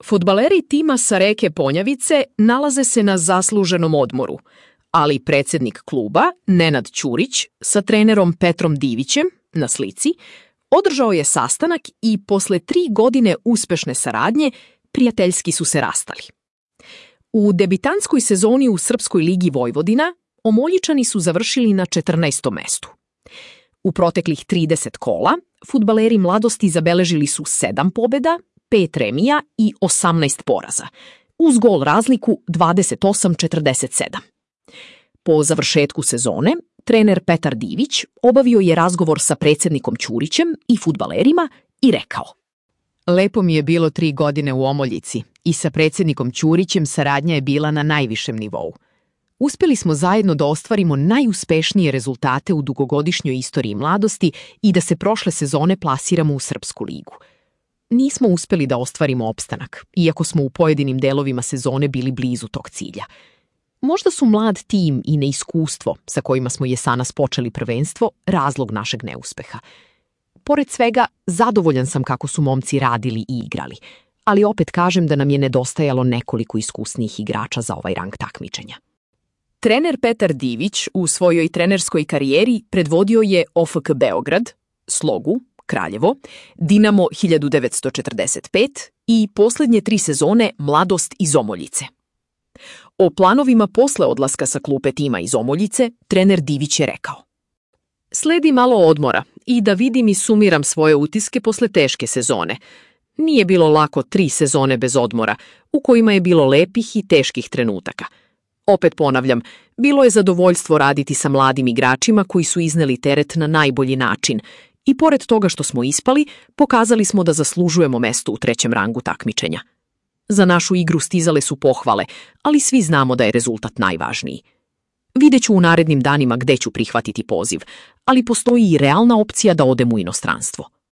Fudbaleri tima sa reke Ponjavice nalaze se na zasluženom odmoru, ali predsjednik kluba, Nenad Ćurić, sa trenerom Petrom Divićem, na slici, održao je sastanak i posle 3 godine uspešne saradnje prijateljski su se rastali. U debitanskoj sezoni u Srpskoj ligi Vojvodina Omoljičani su završili na 14. mestu. U proteklih 30 kola fudbaleri Mladosti zabeležili su 7 pobjeda, 5 remija i 18 poraza, uz gol razliku 28-47. Po završetku sezone, trener Petar Divić obavio je razgovor sa predsjednikom Ćurićem i fudbalerima i rekao: Lepo mi je bilo 3 godine u Omoljici i sa predsjednikom Ćurićem saradnja je bila na najvišem nivou. Uspjeli smo zajedno da ostvarimo najuspešnije rezultate u dugogodišnjoj istoriji Mladosti i da se prošle sezone plasiramo u Srpsku ligu. Nismo uspjeli da ostvarimo opstanak, iako smo u pojedinim delovima sezone bili blizu tog cilja. Možda su mlad tim i neiskustvo sa kojima smo jesanas počeli prvenstvo razlog našeg neuspeha. Pored svega, zadovoljan sam kako su momci radili i igrali, ali opet kažem da nam je nedostajalo nekoliko iskusnijih igrača za ovaj rang takmičenja. Trener Petar Divić u svojoj trenerskoj karijeri predvodio je OFK Beograd, Slogu, Kraljevo, Dinamo 1945 i posljednje 3 sezone Mladost iz Omoljice. O planovima posle odlaska sa klupe tima iz Omoljice trener Divić je rekao: Sledi malo odmora i da vidim i sumiram svoje utiske posle teške sezone. Nije bilo lako 3 sezone bez odmora, u kojima je bilo lepih i teških trenutaka. Opet ponavljam, bilo je zadovoljstvo raditi sa mladim igračima koji su izneli teret na najbolji način i pored toga što smo ispali, pokazali smo da zaslužujemo mesto u 3. rangu takmičenja. Za našu igru stizale su pohvale, ali svi znamo da je rezultat najvažniji. Vidjet ću u narednim danima gde ću prihvatiti poziv, ali postoji i realna opcija da odem u inostranstvo.